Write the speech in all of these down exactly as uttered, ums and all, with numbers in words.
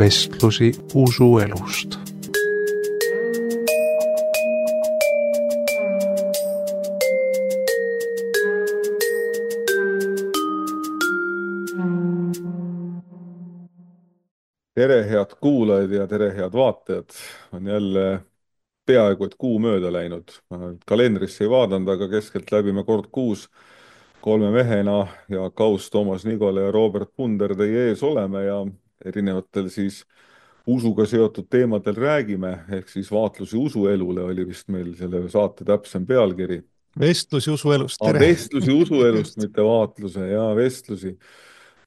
Vestlusi usuelust. Tere, head kuulajad ja tere, head vaatajad. On jälle peaaegu et kuu mööda läinud. Ma kalendrisse ei vaadanud, aga keskelt läbime kord kuus kolme mehena ja Kaus, Toomas Nigole ja Robert Punder teie ees oleme ja erinevatel siis usuga seotud teemadel räägime, ehk siis vaatlusi usuelule oli vist meil selle saate täpsem pealkiri. Vestlusi usuelust, Ah, tere! vestlusi usuelust, mitte vaatluse ja vestlusi.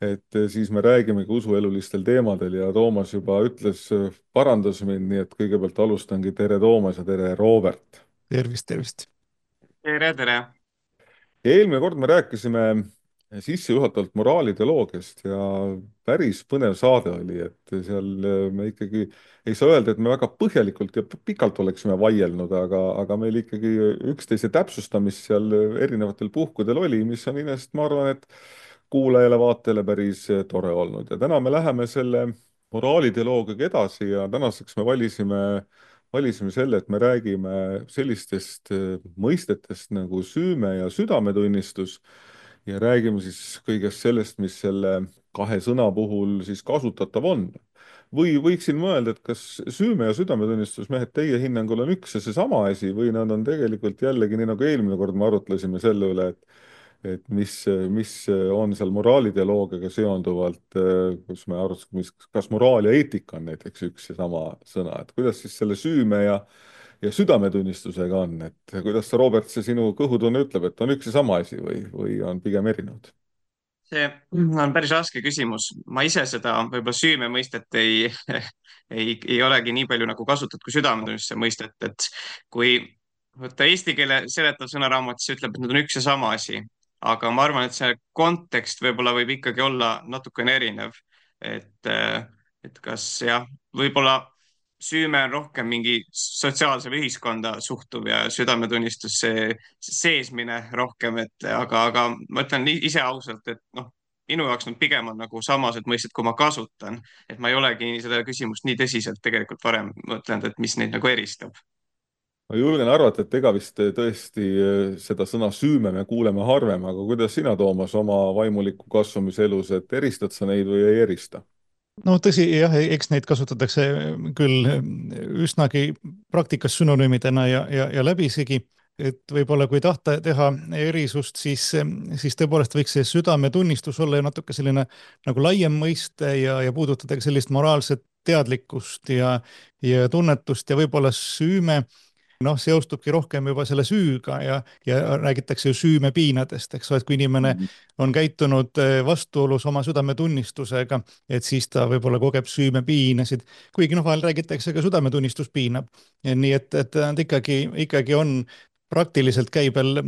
Et siis me räägimegi usuelulistel teemadel ja Toomas juba ütles, parandas mind, nii et kõigepealt alustangi tere Toomas ja tere Robert. Tervist, tervist! Tere, tere! Ja eelmine kord me rääkisime sissejuhatavalt moraaliteoloogiast ja päris põnev saade oli, et seal me ikkagi ei saa öelda, et me väga põhjalikult ja pikalt oleksime vaielnud, aga, aga meil ikkagi üksteise täpsustamist seal erinevatel puhkudel oli, mis on inest, ma arvan, et kuulajale, vaatajale päris tore olnud. Ja täna me läheme selle moraaliteoloogiaga edasi ja tänaseks me valisime, valisime selle, et me räägime sellistest mõistetest nagu süüme ja südametunnistus ja räägime siis kõigest sellest, mis selle kahe sõna puhul siis kasutatav on. Või võiksin mõelda, et kas süüme ja südametunnistus, mehed, teie hinnangul on üks ja seesama asi või nad on tegelikult jällegi, nii nagu eelmine kord me arutlesime selle üle, et et mis, mis on seal moraaliteoloogiaga seonduvalt, kus me arutasime, kas moraal ja eetika on näiteks üks ja sama sõna, et kuidas siis selle süüme ja, ja südametunnistusega on, et kuidas sa, Robert, see sinu kõhutunne ütleb, et on üks ja sama asi või, või on pigem erinevad? See on päris raske küsimus. Ma ise seda võib-olla süüme mõistet ei, ei, ei olegi nii palju nagu kasutatud kui südametunnistuse mõistet, et kui võtta eesti keele seletav sõnaraamat, siis ütleb, et need on üks ja sama asi. Aga ma arvan, et see kontekst võib-olla võib ikkagi olla natukene erinev. Et, et kas jah, võib-olla süüme on rohkem mingi sotsiaalse või ühiskonda suhtuv ja südametunnistus see seesmine rohkem, et aga, aga ma ütlen ise ausalt, et noh, minu jaoks nad pigem on nagu samased mõisted, kui ma kasutan, et ma ei olegi seda küsimust nii tõsiselt tegelikult varem mõtlenud, et mis neid nagu eristab. Ma julgen arvata, et ega vist tõesti seda sõna süüme me kuuleme harvem, aga kuidas sina, Toomas, oma vaimuliku kasvamise elus, et eristad sa neid või ei erista? No tõsi, jah, eks neid kasutatakse küll üsnagi praktikas sünonüümidena ja, ja, ja läbisegi, et võib-olla kui tahta teha erisust, siis, siis tõepoolest võiks see südametunnistus olla ju natuke selline nagu laiem mõiste ja, ja puudutada sellist moraalset teadlikkust ja, ja tunnetust ja võib-olla süüme noh, seostubki rohkem juba selle süüga ja, ja räägitakse ju süümepiinadest, eks ole, et kui inimene on käitunud vastuolus oma südametunnistusega, et siis ta võib-olla kogeb süümepiinasid, kuigi noh, vahel räägitakse ka südametunnistus piinab. Nii et, et nad ikkagi, ikkagi on praktiliselt käibel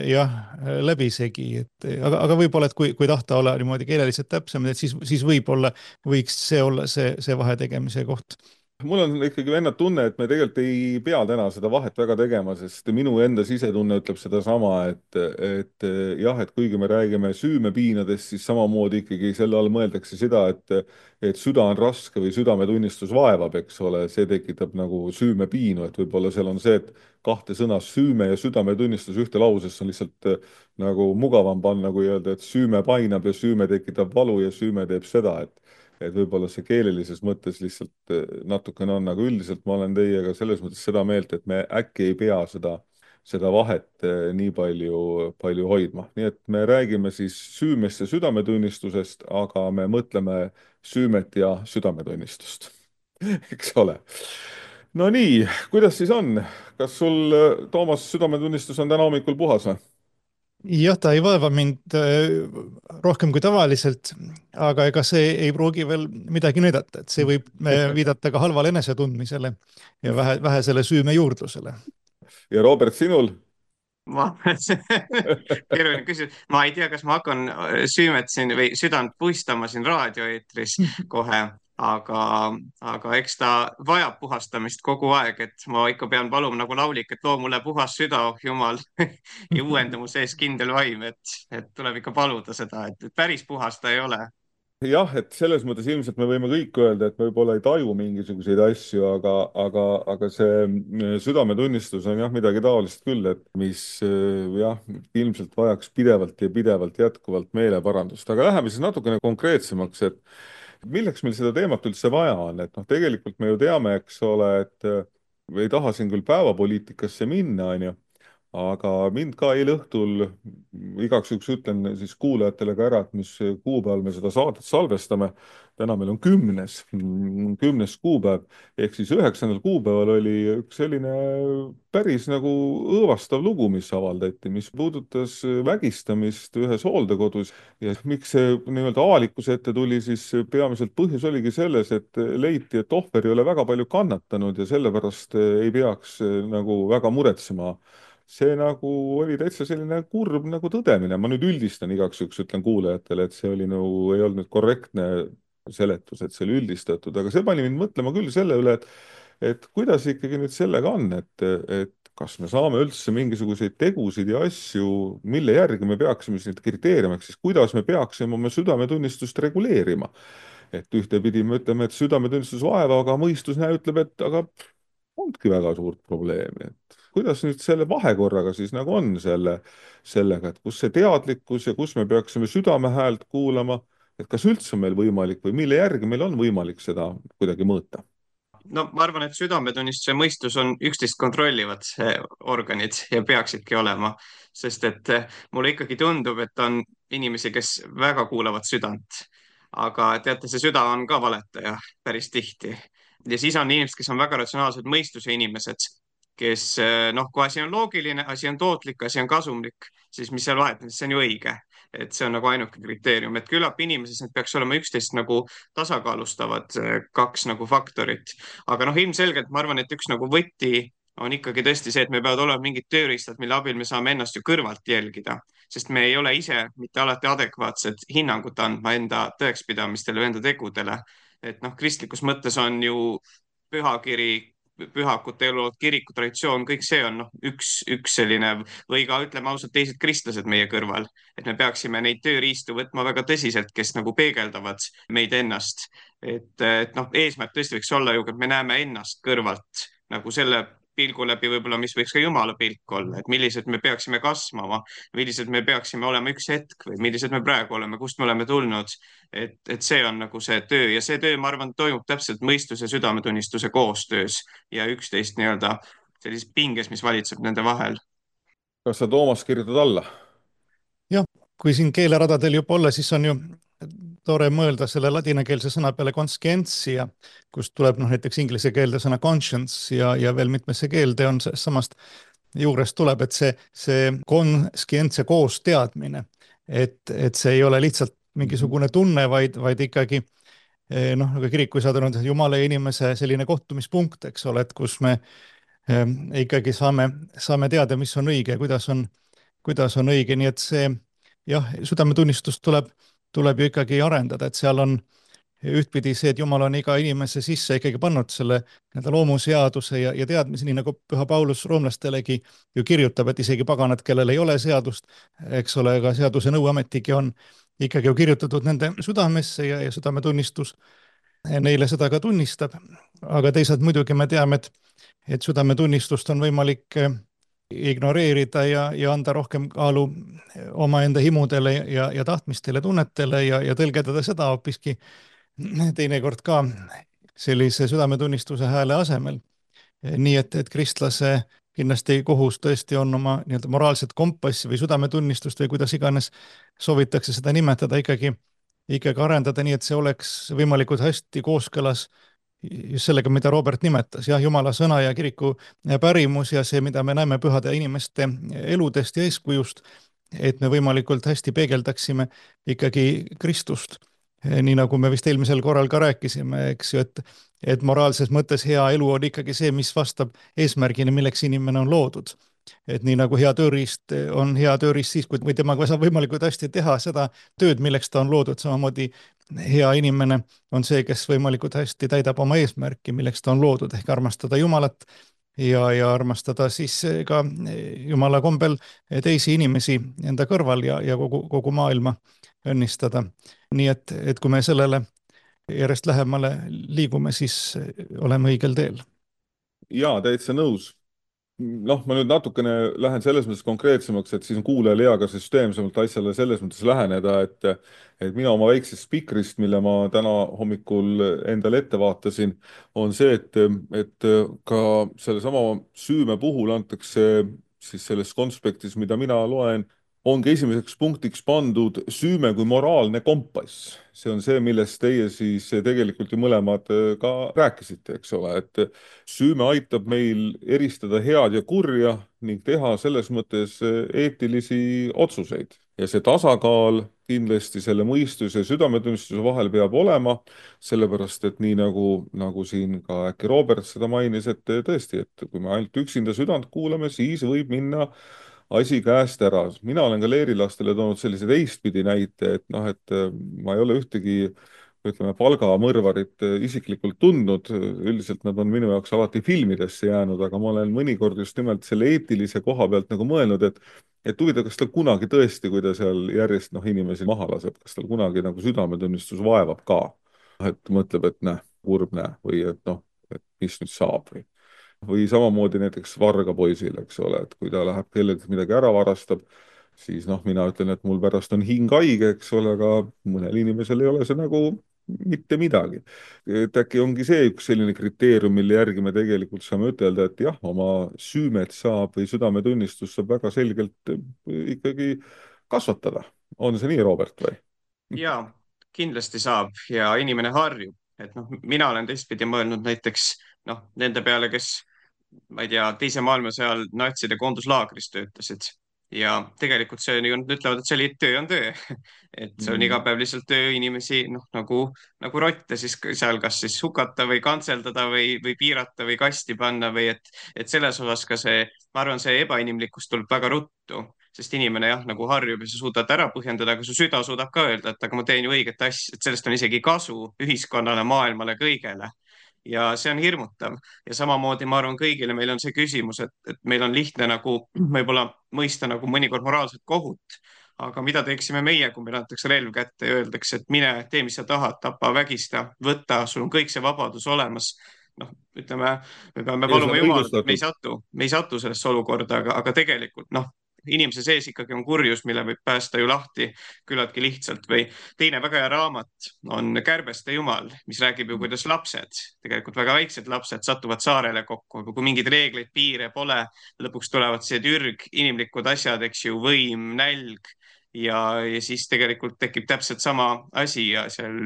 jah, läbisegi, et aga, aga võib-olla, et kui, kui tahta olla niimoodi keeleliselt täpsem, et siis, siis võib-olla võiks see olla see, see vahetegemise koht. Mul on ikkagi vennad tunne, et me tegelikult ei pea täna seda vahet väga tegema, sest minu enda sisetunne ütleb sedasama, et, et jah, et kuigi me räägime süümepiinadest, siis samamoodi ikkagi selle all mõeldakse seda, et, et süda on raske või südametunnistus vaevab, eks ole, see tekitab nagu süümepiinu, et võib-olla seal on see, et kahte sõna süüme ja südametunnistus ühte lausesse on lihtsalt nagu mugavam panna, kui öelda, et süüme painab ja süüme tekitab valu ja süüme teeb seda, et et võib-olla see keelelises mõttes lihtsalt natukene on, aga üldiselt ma olen teiega selles mõttes seda meelt, et me äkki ei pea seda, seda vahet nii palju, palju hoidma. Nii et me räägime siis süümest ja südametunnistusest, aga me mõtleme süümet ja südametunnistust. Eks ole. No nii, kuidas siis on? Kas sul, Toomas, südametunnistus on täna hommikul puhas või? Jah, ta ei vaeva mind rohkem kui tavaliselt, aga ega see ei pruugi veel midagi näidata, et see võib viidata ka halvale enesetundmisele ja vähe, vähesele süüme juurdlusele. Ja Robert, sinul? Ma, keeruline küsimus. Ma ei tea, kas ma hakkan süümet siin või südant puistama siin raadioeetris kohe, aga, aga eks ta vajab puhastamist kogu aeg, et ma ikka pean paluma nagu laulik, et loo mulle puhas süda, oh jumal, ja uuenda mu sees kindel vaim, et, et tuleb ikka paluda seda, et päris puhas ta ei ole. jah, et selles mõttes ilmselt me võime kõik öelda, et me võib-olla ei taju mingisuguseid asju, aga, aga, aga see mm, südametunnistus on jah midagi taolist küll, et mis äh, jah, ilmselt vajaks pidevalt ja pidevalt jätkuvalt meeleparandust. Aga läheme siis natukene konkreetsemaks, et milleks meil seda teemat üldse vaja on, et noh, tegelikult me ju teame, eks ole, et äh, ei taha siin küll päevapoliitikasse minna, on ju, aga mind ka eile õhtul, igaks juhuks ütlen siis kuulajatele ka ära, et mis kuupäeval me seda saadet salvestame. Täna meil on kümnes, kümnes kuupäev, ehk siis üheksandal kuupäeval oli üks selline päris nagu õõvastav lugu, mis avaldati, mis puudutas vägistamist ühes hooldekodus. Ja miks see nii-öelda avalikkuse ette tuli, siis peamiselt põhjus oligi selles, et leiti, et ohver ei ole väga palju kannatanud ja sellepärast ei peaks nagu väga muretsema. See nagu oli täitsa selline kurb nagu tõdemine. Ma nüüd üldistan igaks juhuks, ütlen kuulajatele, et see oli nagu, ei olnud nüüd korrektne seletus, et see oli üldistatud, aga see pani mind mõtlema küll selle üle, et, et kuidas ikkagi nüüd sellega on, et, et kas me saame üldse mingisuguseid tegusid ja asju, mille järgi me peaksime siis neid kriteeriumiks, siis kuidas me peaksime oma südametunnistust reguleerima. Et ühtepidi me ütleme, et südametunnistus vaeva, aga mõistus näe ütleb, et aga ongi väga suurt probleemi, et kuidas nüüd selle vahekorraga siis nagu on selle, sellega, et kus see teadlikkus ja kus me peaksime südame häält kuulama, et kas üldse on meil võimalik või mille järgi meil on võimalik seda kuidagi mõõta? No ma arvan, et südametunnistuse mõistus on üksteist kontrollivad organid ja peaksidki olema, sest et mulle ikkagi tundub, et on inimesi, kes väga kuulavad südant, aga teate, see süda on ka valetaja päris tihti. Ja siis on inimesed, kes on väga ratsionaalsed mõistuse inimesed, kes noh, kui asi on loogiline, asi on tootlik, asi on kasumlik, siis mis seal vahet, see on ju õige. Et see on nagu ainuke kriteerium, et küllap inimeses need peaks olema üksteist nagu tasakaalustavad kaks nagu faktorit. Aga noh, ilmselgelt ma arvan, et üks nagu võti on ikkagi tõesti see, et me peavad olema mingid tööriistad, mille abil me saame ennast ju kõrvalt jälgida, sest me ei ole ise mitte alati adekvaatset hinnangut andma enda tõekspidamistele või enda tegudele. Et noh, kristlikus mõttes on ju pühakiri, pühakute elu, kiriku traditsioon, kõik see on noh, üks, üks selline või ka ütleme ausalt teised kristlased meie kõrval, et me peaksime neid tööriistu võtma väga tõsiselt, kes nagu peegeldavad meid ennast. Et, et noh, eesmärk tõesti võiks olla ju, et me näeme ennast kõrvalt nagu selle pilgu läbi võib-olla, mis võiks ka Jumala pilk olla, et millised me peaksime kasvama, millised me peaksime olema üks hetk või millised me praegu oleme, kust me oleme tulnud. Et, et see on nagu see töö ja see töö, ma arvan, toimub täpselt mõistuse ja südametunnistuse koostöös ja üksteist nii-öelda sellises pinges, mis valitseb nende vahel. Kas sa, Toomas, kirjutad alla? Jah, kui siin keeleradadel juba olla, siis on ju tore mõelda selle ladinakeelse sõna peale conscientia, kust tuleb noh, näiteks inglise keelde sõna conscience ja, ja veel mitmesse keelde on samast juurest tuleb, et see, see conscientia koos teadmine, et, et see ei ole lihtsalt mingisugune tunne, vaid, vaid ikkagi noh, nagu kiriku ei saada olnud Jumala ja inimese selline kohtumispunkt, eks ole, et kus me eh, ikkagi saame, saame teada, mis on õige, kuidas on, kuidas on õige, nii et see jah, südametunnistust tuleb, tuleb ju ikkagi arendada, et seal on ühtpidi see, et Jumal on iga inimese sisse ikkagi pannud selle loomuseaduse ja, ja teadmise, nii nagu Püha Paulus roomlastelegi ju kirjutab, et isegi paganad, kellel ei ole seadust, eks ole, aga seaduse nõuametigi on ikkagi ju kirjutatud nende südamesse ja, ja südametunnistus neile seda ka tunnistab. Aga teisalt muidugi me teame, et, et südametunnistust on võimalik ignoreerida ja, ja anda rohkem kaalu omaenda himudele ja, ja tahtmistele, tunnetele ja, ja tõlgendada seda hoopiski teinekord ka sellise südametunnistuse hääle asemel. Nii et, et kristlase kindlasti kohus tõesti on oma nii-öelda moraalset kompassi või südametunnistust või kuidas iganes soovitakse seda nimetada ikkagi, ikkagi arendada nii, et see oleks võimalikult hästi kooskõlas just sellega, mida Robert nimetas, jah, Jumala sõna ja kiriku pärimus ja see, mida me näeme pühade inimeste eludest ja eeskujust, et me võimalikult hästi peegeldaksime ikkagi Kristust. Nii nagu me vist eelmisel korral ka rääkisime, eks ju, et, et moraalses mõttes hea elu on ikkagi see, mis vastab eesmärgini, milleks inimene on loodud. Et nii nagu hea tööriist on hea tööriist siis, kui temaga saab võimalikult hästi teha seda tööd, milleks ta on loodud, samamoodi hea inimene on see, kes võimalikult hästi täidab oma eesmärki, milleks ta on loodud, ehk armastada Jumalat ja, ja armastada siis ka Jumala kombel teisi inimesi enda kõrval ja, ja kogu, kogu maailma õnnistada. nii et, et kui me sellele järjest lähemale liigume, siis oleme õigel teel. Jaa, täitsa nõus. Noh, ma nüüd natukene lähen selles mõttes konkreetsemaks, et siis on kuulajal hea ka süsteemsemalt asjale selles mõttes läheneda, et, et mina oma väiksest spikrist, mille ma täna hommikul endale ette vaatasin, on see, et, et ka sellesama süüme puhul antakse siis selles konspektis, mida mina loen, ongi esimeseks punktiks pandud süüme kui moraalne kompass. See on see, millest teie siis tegelikult ju mõlemad ka rääkisite, eks ole, et süüme aitab meil eristada head ja kurja ning teha selles mõttes eetilisi otsuseid. Ja see tasakaal kindlasti selle mõistuse ja südametunnistuse vahel peab olema, sellepärast et nii nagu, nagu siin ka äkki Robert seda mainis, et tõesti, et kui me ainult üksinda südant kuulame, siis võib minna asi käest ära. Mina olen ka leerilastele toonud sellise teistpidi näite, et noh, et ma ei ole ühtegi, ütleme, palgamõrvarit isiklikult tundnud. Üldiselt nad on minu jaoks alati filmidesse jäänud, aga ma olen mõnikord just nimelt selle eetilise koha pealt nagu mõelnud, et et huvitav, kas tal kunagi tõesti, kui ta seal järjest noh, inimesi maha laseb, kas tal kunagi nagu südametunnistus vaevab ka. Et mõtleb, et näe, kurb näe, või et noh, et mis nüüd saab või või samamoodi näiteks varga poisil, eks ole, et kui ta läheb kellelgi midagi ära varastab, siis noh, mina ütlen, et mul pärast on hing haige, eks ole, aga mõnel inimesel ei ole see nagu mitte midagi. Et äkki ongi see üks selline kriteerium, mille järgi me tegelikult saame ütelda, et jah, oma süümet saab või südametunnistust saab väga selgelt ikkagi kasvatada. On see nii, Robert, või? Jaa, kindlasti saab ja inimene harjub. Et noh, mina olen teistpidi mõelnud näiteks noh, nende peale, kes ma ei tea, teise maailmasõja ajal natside koonduslaagris töötasid ja tegelikult see on, ütlevad, et see oli töö on töö. Et see on iga päev lihtsalt töö inimesi noh, nagu, nagu rotte siis seal kas siis hukata või kantseldada või, või piirata või kasti panna või et, et selles osas ka see, ma arvan, see ebainimlikkus tuleb väga ruttu, sest inimene jah, nagu harjub ja sa suudad ära põhjendada, aga su süda suudab ka öelda, et aga ma teen ju õiget asja, et sellest on isegi kasu ühiskonnale, maailmale, kõigele. Ja see on hirmutav ja samamoodi ma arvan kõigile meil on see küsimus, et, et meil on lihtne nagu võib-olla mõista nagu mõnikord moraalset kohut, aga mida teeksime meie, kui meil antakse relv kätte ja öeldakse, et mine, tee, mis sa tahad, tapa, vägista, võta, sul on kõik see vabadus olemas. Noh, ütleme, me peame paluma Jumalat, et me ei satu, me ei satu sellesse olukorda, aga, aga tegelikult noh, inimese sees ikkagi on kurjus, mille võib päästa ju lahti küllaltki lihtsalt või teine väga hea raamat on Kärbeste jumal, mis räägib ju, kuidas lapsed, tegelikult väga väiksed lapsed satuvad saarele kokku, kui mingeid reegleid, piire pole, lõpuks tulevad see türg, inimlikud asjad, eks ju, võim, nälg ja, ja siis tegelikult tekib täpselt sama asi ja seal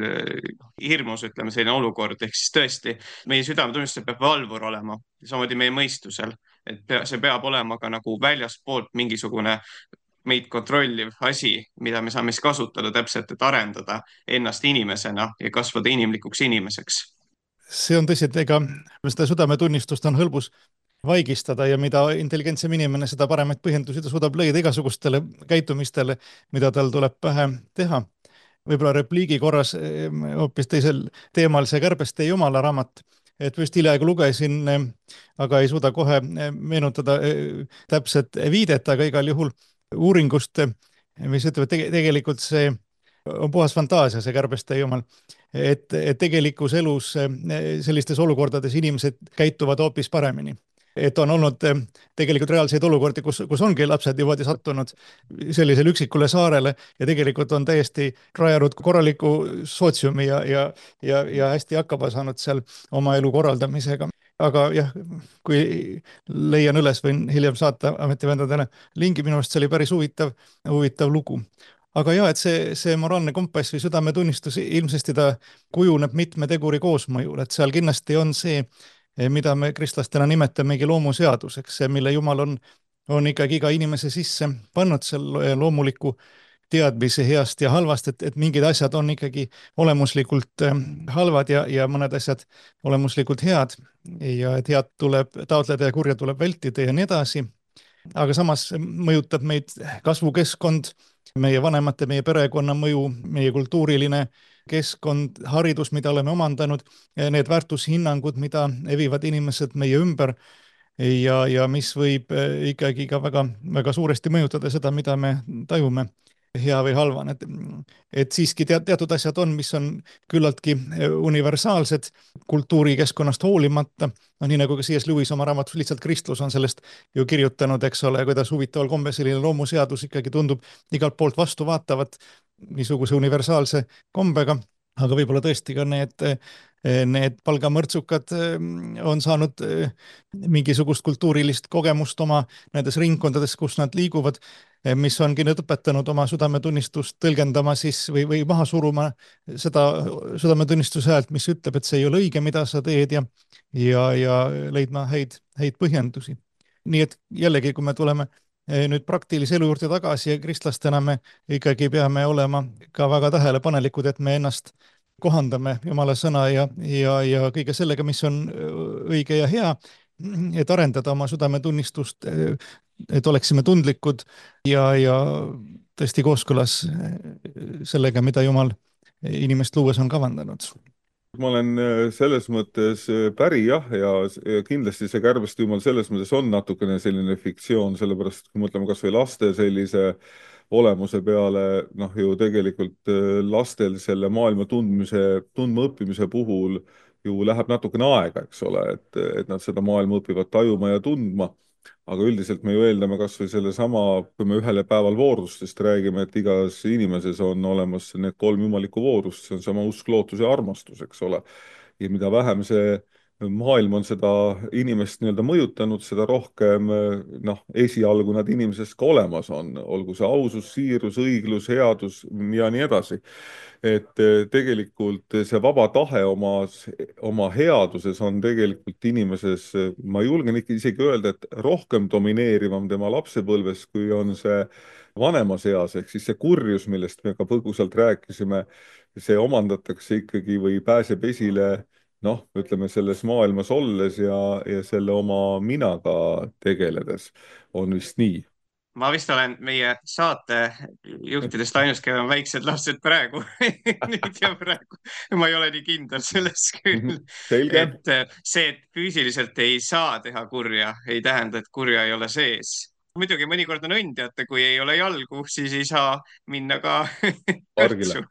hirmus, ütleme, selline olukord, ehk siis tõesti meie südametunnistusel peab valvur olema, samamoodi meie mõistusel. Et see peab olema ka nagu väljaspoolt mingisugune meid kontrolliv asi, mida me saame siis kasutada täpselt, et arendada ennast inimesena ja kasvada inimlikuks inimeseks. See on tõsi, et ega seda südametunnistust on hõlbus vaigistada ja mida intelligentsem inimene, seda paremaid põhjendusi ta suudab leida igasugustele käitumistele, mida tal tuleb pähe teha. Võib-olla repliigi korras hoopis teisel teemal see Kärbeste jumala raamat, et just hiljaaegu lugesin, aga ei suuda kohe meenutada täpset viidet, aga igal juhul uuringust, mis ütleb, et tegelikult see on puhas fantaasia, see Kärbeste jumal, et, et tegelikus elus sellistes olukordades inimesed käituvad hoopis paremini. Et on olnud tegelikult reaalseid olukordi, kus, kus ongi lapsed niimoodi sattunud sellisele üksikule saarele ja tegelikult on täiesti rajanud korraliku sootsiumi ja, ja, ja, ja hästi hakkama saanud seal oma elu korraldamisega. Aga jah, kui leian üles, võin hiljem saata ametivendadele lingi, minu arust see oli päris huvitav, huvitav lugu. Aga jah, et see, see moraalne kompass või südametunnistus ilmsesti ta kujuneb mitme teguri koosmõjul, et seal kindlasti on see, mida me kristlastena nimetamegi loomuseaduseks, mille Jumal on, on ikkagi iga inimese sisse pannud selle loomuliku teadmise heast ja halvast, et, et mingid asjad on ikkagi olemuslikult halvad ja, ja mõned asjad olemuslikult head ja et head tuleb taotleda ja kurja tuleb vältida ja nii edasi. Aga samas mõjutab meid kasvukeskkond, meie vanemate, meie perekonna mõju, meie kultuuriline keskkond, haridus, mida oleme omandanud, need väärtushinnangud, mida evivad inimesed meie ümber ja, ja mis võib ikkagi ka väga, väga suuresti mõjutada seda, mida me tajume hea või halvana, et, et siiski tead, teatud asjad on, mis on küllaltki universaalsed kultuurikeskkonnast hoolimata. No nii nagu ka C S Lewis oma raamatus Lihtsalt kristlus on sellest ju kirjutanud, eks ole, kuidas huvitaval kombel selline loomuseadus ikkagi tundub igalt poolt vastu vaatavat niisuguse universaalse kombega, aga võib-olla tõesti ka need need palgamõrtsukad on saanud mingisugust kultuurilist kogemust oma nendes ringkondades, kus nad liiguvad, mis ongi nüüd õpetanud oma südametunnistust tõlgendama siis või, või maha suruma seda südametunnistuse häält, mis ütleb, et see ei ole õige, mida sa teed ja, ja, ja leidma häid, häid põhjendusi. Nii et jällegi, kui me tuleme nüüd praktilise elu juurde tagasi ja kristlastena me ikkagi peame olema ka väga tähelepanelikud, et me ennast kohandame Jumala sõna ja, ja, ja kõige sellega, mis on õige ja hea, et arendada oma südametunnistust, et oleksime tundlikud ja, ja tõesti kooskõlas sellega, mida Jumal inimest luues on kavandanud. Ma olen selles mõttes päri jah, ja kindlasti see Kärbeste jumal selles mõttes on natukene selline fiktsioon, sellepärast kui mõtleme kas või laste sellise olemuse peale, noh ju tegelikult lastel selle maailma tundmise, tundma õppimise puhul ju läheb natukene aega, eks ole, et, et nad seda maailma õpivad tajuma ja tundma, aga üldiselt me ju eeldame kas või selle sama, kui me ühele päeval voorustest räägime, et igas inimeses on olemas need kolm jumalikku voorust, see on sama usk, lootus ja armastus, eks ole, ja mida vähem see maailm on seda inimest nii-öelda mõjutanud, seda rohkem noh, esialgu nad inimesest ka olemas on, olgu see ausus, siirus, õiglus, headus ja nii edasi. Et tegelikult see vaba tahe oma, oma headuses on tegelikult inimeses, ma julgen isegi öelda, et rohkem domineerivam tema lapsepõlves, kui on see vanemas eas, ehk siis see kurjus, millest me ka põgusalt rääkisime, see omandatakse ikkagi või pääseb esile noh, ütleme selles maailmas olles ja, ja selle oma minaga tegeledes on vist nii. Ma vist olen meie saate juhtidest ainus, kellel on väiksed lapsed praegu. Nüüd ja praegu. Ma ei ole nii kindel selles küll. Selge. Et see, et füüsiliselt ei saa teha kurja, ei tähenda, et kurja ei ole sees. Muidugi mõnikord on õnn, teate, kui ei ole jalgu, siis ei saa minna ka kõrtsu.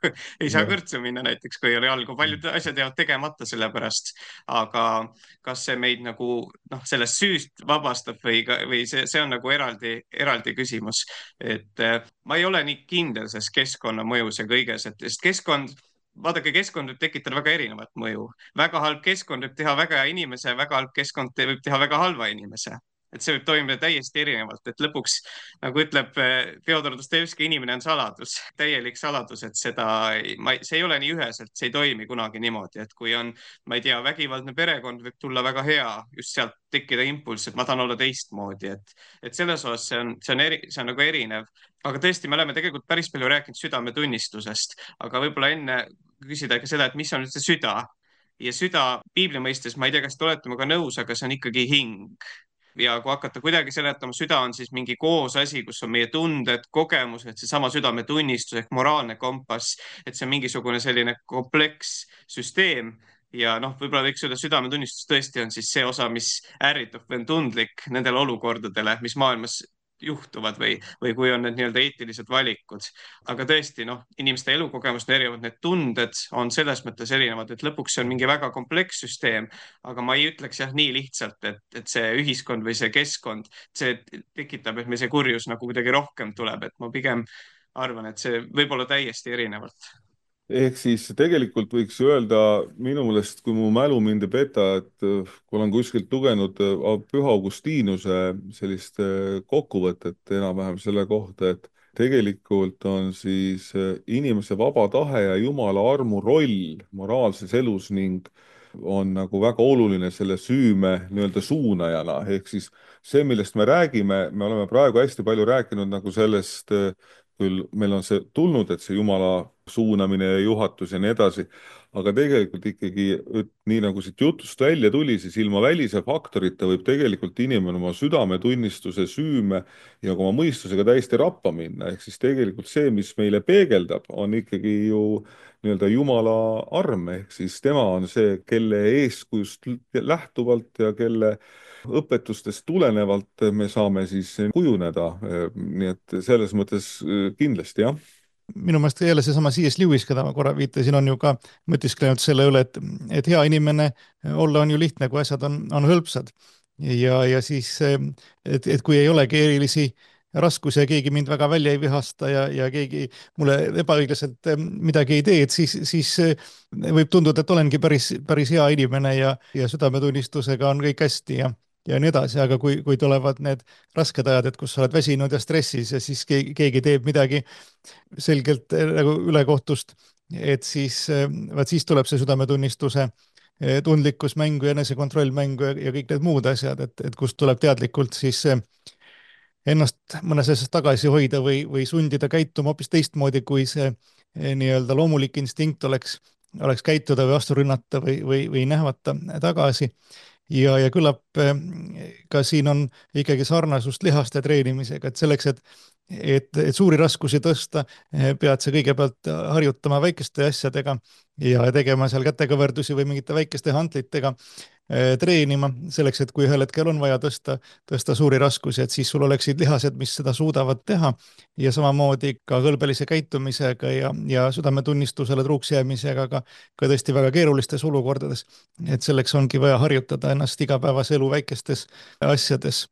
Ei saa kõrtsu minna näiteks, kui ei ole jalgu. Paljud asjad jäävad tegemata selle pärast. Aga kas see meid nagu noh, sellest süüst vabastab või, või see, see on nagu eraldi, eraldi küsimus. Et ma ei ole nii kindel selles keskkonna mõjus ja kõiges, et keskkond vaadake, keskkond võib tekitada väga erinevat mõju. Väga halb keskkond võib teha väga hea inimese, väga halb keskkond võib teha väga halva inimese. Et see võib toimida täiesti erinevalt, et lõpuks, nagu ütleb Fjodor Dostojevski, inimene on saladus, täielik saladus, et seda, ma, see ei ole nii üheselt, see ei toimi kunagi niimoodi, et kui on, ma ei tea, vägivaldne perekond võib tulla väga hea, just sealt tekkida impulss, et ma tahan olla teistmoodi, et, et selles osas see on, see on, eri, see on nagu erinev. Aga tõesti, me oleme tegelikult päris palju rääkinud südametunnistusest, aga võib-olla enne küsida ka seda, et mis on üldse süda. Ja süda piibli mõistes, ma ei tea, kas te olete minuga nõus, aga see on ikkagi hing. Ja kui hakata kuidagi seletama, süda on siis mingi koos asi, kus on meie tunded, kogemused, see sama südametunnistus ehk moraalne kompass, et see on mingisugune selline kompleks süsteem. Ja noh, võib-olla võiks öelda, südametunnistus tõesti on siis see osa, mis ärritab või on tundlik nendele olukordadele, mis maailmas juhtuvad või, või kui on need nii-öelda eetilised valikud. Aga tõesti, noh, inimeste elukogemused on erinevad, need tunded on selles mõttes erinevad, et lõpuks see on mingi väga kompleks süsteem, aga ma ei ütleks jah nii lihtsalt, et, et see ühiskond või see keskkond, see tekitab, et meil see kurjus nagu kuidagi rohkem tuleb, et ma pigem arvan, et see võib olla täiesti erinevalt. Ehk siis tegelikult võiks öelda minu meelest, kui mu mälu mind ei peta, et kui olen kuskilt lugenud Püha Augustinuse sellist kokkuvõtet enam-vähem selle kohta, et tegelikult on siis inimese vaba tahe ja Jumala armu roll moraalses elus ning on nagu väga oluline selle süüme nii-öelda suunajana. Ehk siis see, millest me räägime, me oleme praegu hästi palju rääkinud nagu sellest, küll meil on see tulnud, et see Jumala suunamine ja juhatus ja nii edasi, aga tegelikult ikkagi, nii nagu siit jutust välja tuli, siis ilma välise faktorita võib tegelikult inimene oma südametunnistuse, süüme ja oma mõistusega täiesti rappa minna. Ehk siis tegelikult see, mis meile peegeldab, on ikkagi ju nii-öelda Jumala arm, ehk siis tema on see, kelle eeskujust lähtuvalt ja kelle õpetustest tulenevalt me saame siis kujuneda. Nii et selles mõttes kindlasti jah. Minu meelest jälle seesama C S Lewis, keda ma korra viitasin, on ju ka mõtisklenud selle üle, et, et hea inimene olla on ju lihtne, kui asjad on, on hõlpsad. Ja, ja siis, et, et kui ei olegi erilisi raskusi ja keegi mind väga välja ei vihasta ja, ja keegi mulle ebaõiglaselt midagi ei tee, et siis, siis võib tunduda, et olengi päris, päris hea inimene ja, ja südametunnistusega on kõik hästi ja ja nii edasi, aga kui, kui tulevad need rasked ajad, et kus sa oled väsinud ja stressis ja siis keegi, keegi teeb midagi selgelt nagu ülekohtust, et siis, vaat siis tuleb see südametunnistuse tundlikkus mängu ja enesekontroll mängu ja, ja kõik need muud asjad, et, et kust tuleb teadlikult siis ennast mõnes asjas tagasi hoida või, või sundida käituma hoopis teistmoodi, kui see nii-öelda loomulik instinkt oleks, oleks käituda või vastu rünnata või, või, või nähvata tagasi. Ja, ja küllap ka siin on ikkagi sarnasust lihaste treenimisega, et selleks, et, et, et suuri raskusi tõsta, pead sa kõigepealt harjutama väikeste asjadega ja tegema seal kätekõverdusi või mingite väikeste hantlitega treenima selleks, et kui ühel hetkel on vaja tõsta, tõsta suuri raskusi, et siis sul oleksid lihased, mis seda suudavad teha ja samamoodi ka kõlbelise käitumisega ja, ja südametunnistusele truuks jäämisega ka, ka tõesti väga keerulistes olukordades. Et selleks ongi vaja harjutada ennast igapäevase elu väikestes asjades,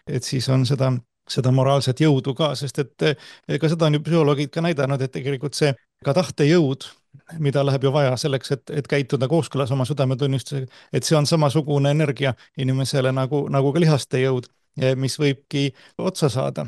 et siis on seda, seda moraalset jõudu ka, sest et ka seda on ju psühholoogid ka näidanud, et tegelikult see ka tahtejõud, mida läheb ju vaja selleks, et, et käituda kooskõlas oma südametunnistusega, et see on samasugune energia inimesele nagu, nagu ka lihaste jõud, mis võibki otsa saada.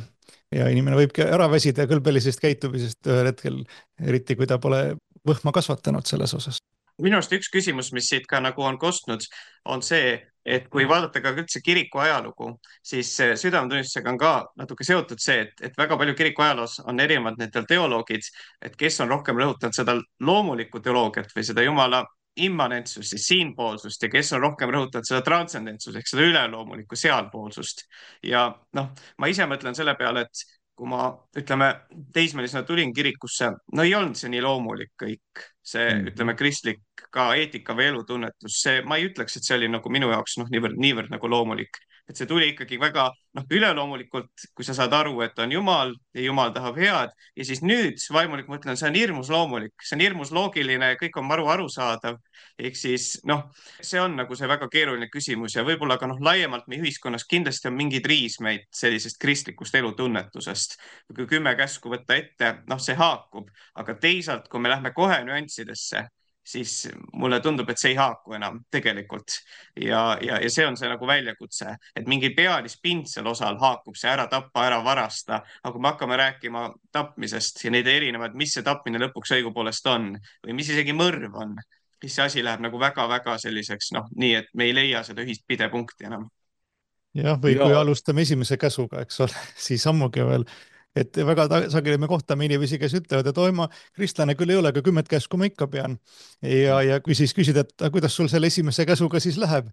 Ja inimene võibki ära väsida kõlbelisest käitumisest ühel hetkel, eriti kui ta pole võhma kasvatanud selles osas. Minu arust üks küsimus, mis siit ka nagu on kostnud, on see, et kui vaadata ka üldse kiriku ajalugu, siis südametunnistusega on ka natuke seotud see, et, et väga palju kiriku ajaloos on erinevad nendel teoloogid, et kes on rohkem rõhutanud seda loomulikku teoloogiat või seda jumala immanentsust, siis siinpoolsust ja kes on rohkem rõhutanud seda transcendentsust ehk seda üleloomulikku sealpoolsust. Ja noh, ma ise mõtlen selle peale, et kui ma, ütleme, teismelisena tulin kirikusse, no ei olnud see nii loomulik kõik, see, mm-hmm. ütleme, kristlik ka eetika või elutunnetus, see, ma ei ütleks, et see oli nagu minu jaoks noh, niivõrd, niivõrd nagu loomulik, et see tuli ikkagi väga noh, üleloomulikult, kui sa saad aru, et on Jumal ja Jumal tahab head ja siis nüüd vaimulik mõtlen, see on hirmus loomulik, see on hirmus loogiline, kõik on maru arusaadav. Ehk siis noh, see on nagu see väga keeruline küsimus ja võib-olla ka noh, laiemalt meie ühiskonnas kindlasti on mingeid riismeid sellisest kristlikust elutunnetusest. Kui kümme käsku võtta ette, noh, see haakub, aga teisalt, kui me lähme kohe nüanssidesse, siis mulle tundub, et see ei haaku enam tegelikult. Ja, ja, ja see on see nagu väljakutse, et mingi pealispindsel osal haakub see ära tappa, ära varasta. Aga kui me hakkame rääkima tapmisest ja neid erinevad, mis see tapmine lõpuks õigupoolest on või mis isegi mõrv on, siis see asi läheb nagu väga-väga selliseks, noh, nii et me ei leia seda ühist pidepunkti enam. Jah, või ja. Kui alustame esimese käsuga, eks ole, siis ammugi veel, et väga sageli me kohtame inimesi, kes ütlevad, et oi, ma kristlane küll ei ole, aga kümmet käsku ma ikka pean. Ja, ja kui siis küsida, et kuidas sul selle esimese käsuga siis läheb,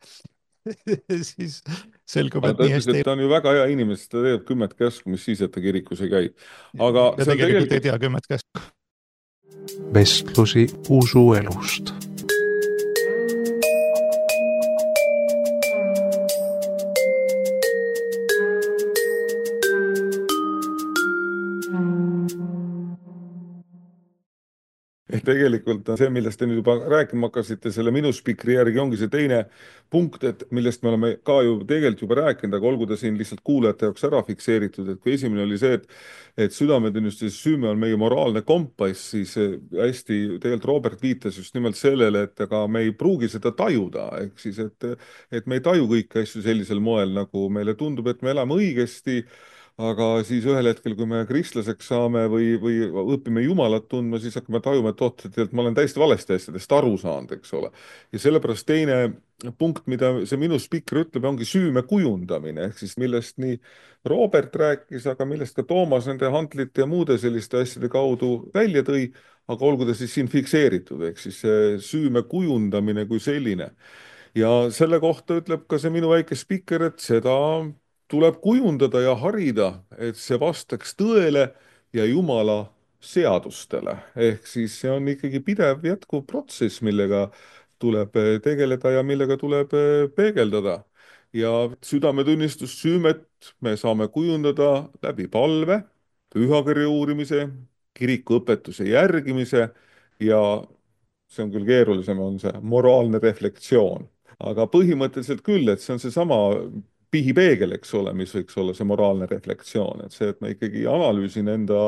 siis selgub, et nii hästi. Ta on ju väga hea inimene, ta teeb kümmet käsku, mis siis, et ta kirikus ei käi. Aga ja tegelikult, tegelikult ei tea kümmet käsku. Vestlusi usuelust. Tegelikult on see, millest te nüüd juba rääkima hakkasite, selle minu spikri järgi ongi see teine punkt, et millest me oleme ka ju tegelikult juba rääkinud, aga olgu ta siin lihtsalt kuulajate jaoks ära fikseeritud, et kui esimene oli see, et, et südametunnistuse süüme on meie moraalne kompass, siis hästi tegelikult Robert viitas just nimelt sellele, et aga me ei pruugi seda tajuda, ehk siis, et, et me ei taju kõiki asju sellisel moel, nagu meile tundub, et me elame õigesti, aga siis ühel hetkel, kui me kristlaseks saame või, või õpime Jumalat tundma, siis hakkame tajuma, et oot, et ma olen täiesti valesti asjadest aru saanud, eks ole. Ja sellepärast teine punkt, mida see minu spikker ütleb, ongi süüme kujundamine, ehk siis millest nii Robert rääkis, aga millest ka Toomas nende hantlite ja muude selliste asjade kaudu välja tõi, aga olgu ta siis siin fikseeritud, ehk siis süüme kujundamine kui selline. Ja selle kohta ütleb ka see minu väike spikker, et seda tuleb kujundada ja harida, et see vastaks tõele ja Jumala seadustele. Ehk siis see on ikkagi pidev jätkuv protsess, millega tuleb tegeleda ja millega tuleb peegeldada. ja südametunnistussüümet me saame kujundada läbi palve, pühakirja uurimise, kirikuõpetuse järgimise ja see on küll keerulisem, on see moraalne reflektsioon. Aga põhimõtteliselt küll, et see on seesama pihipeegel, eks ole, mis võiks olla see moraalne reflektsioon, et see, et ma ikkagi analüüsin enda,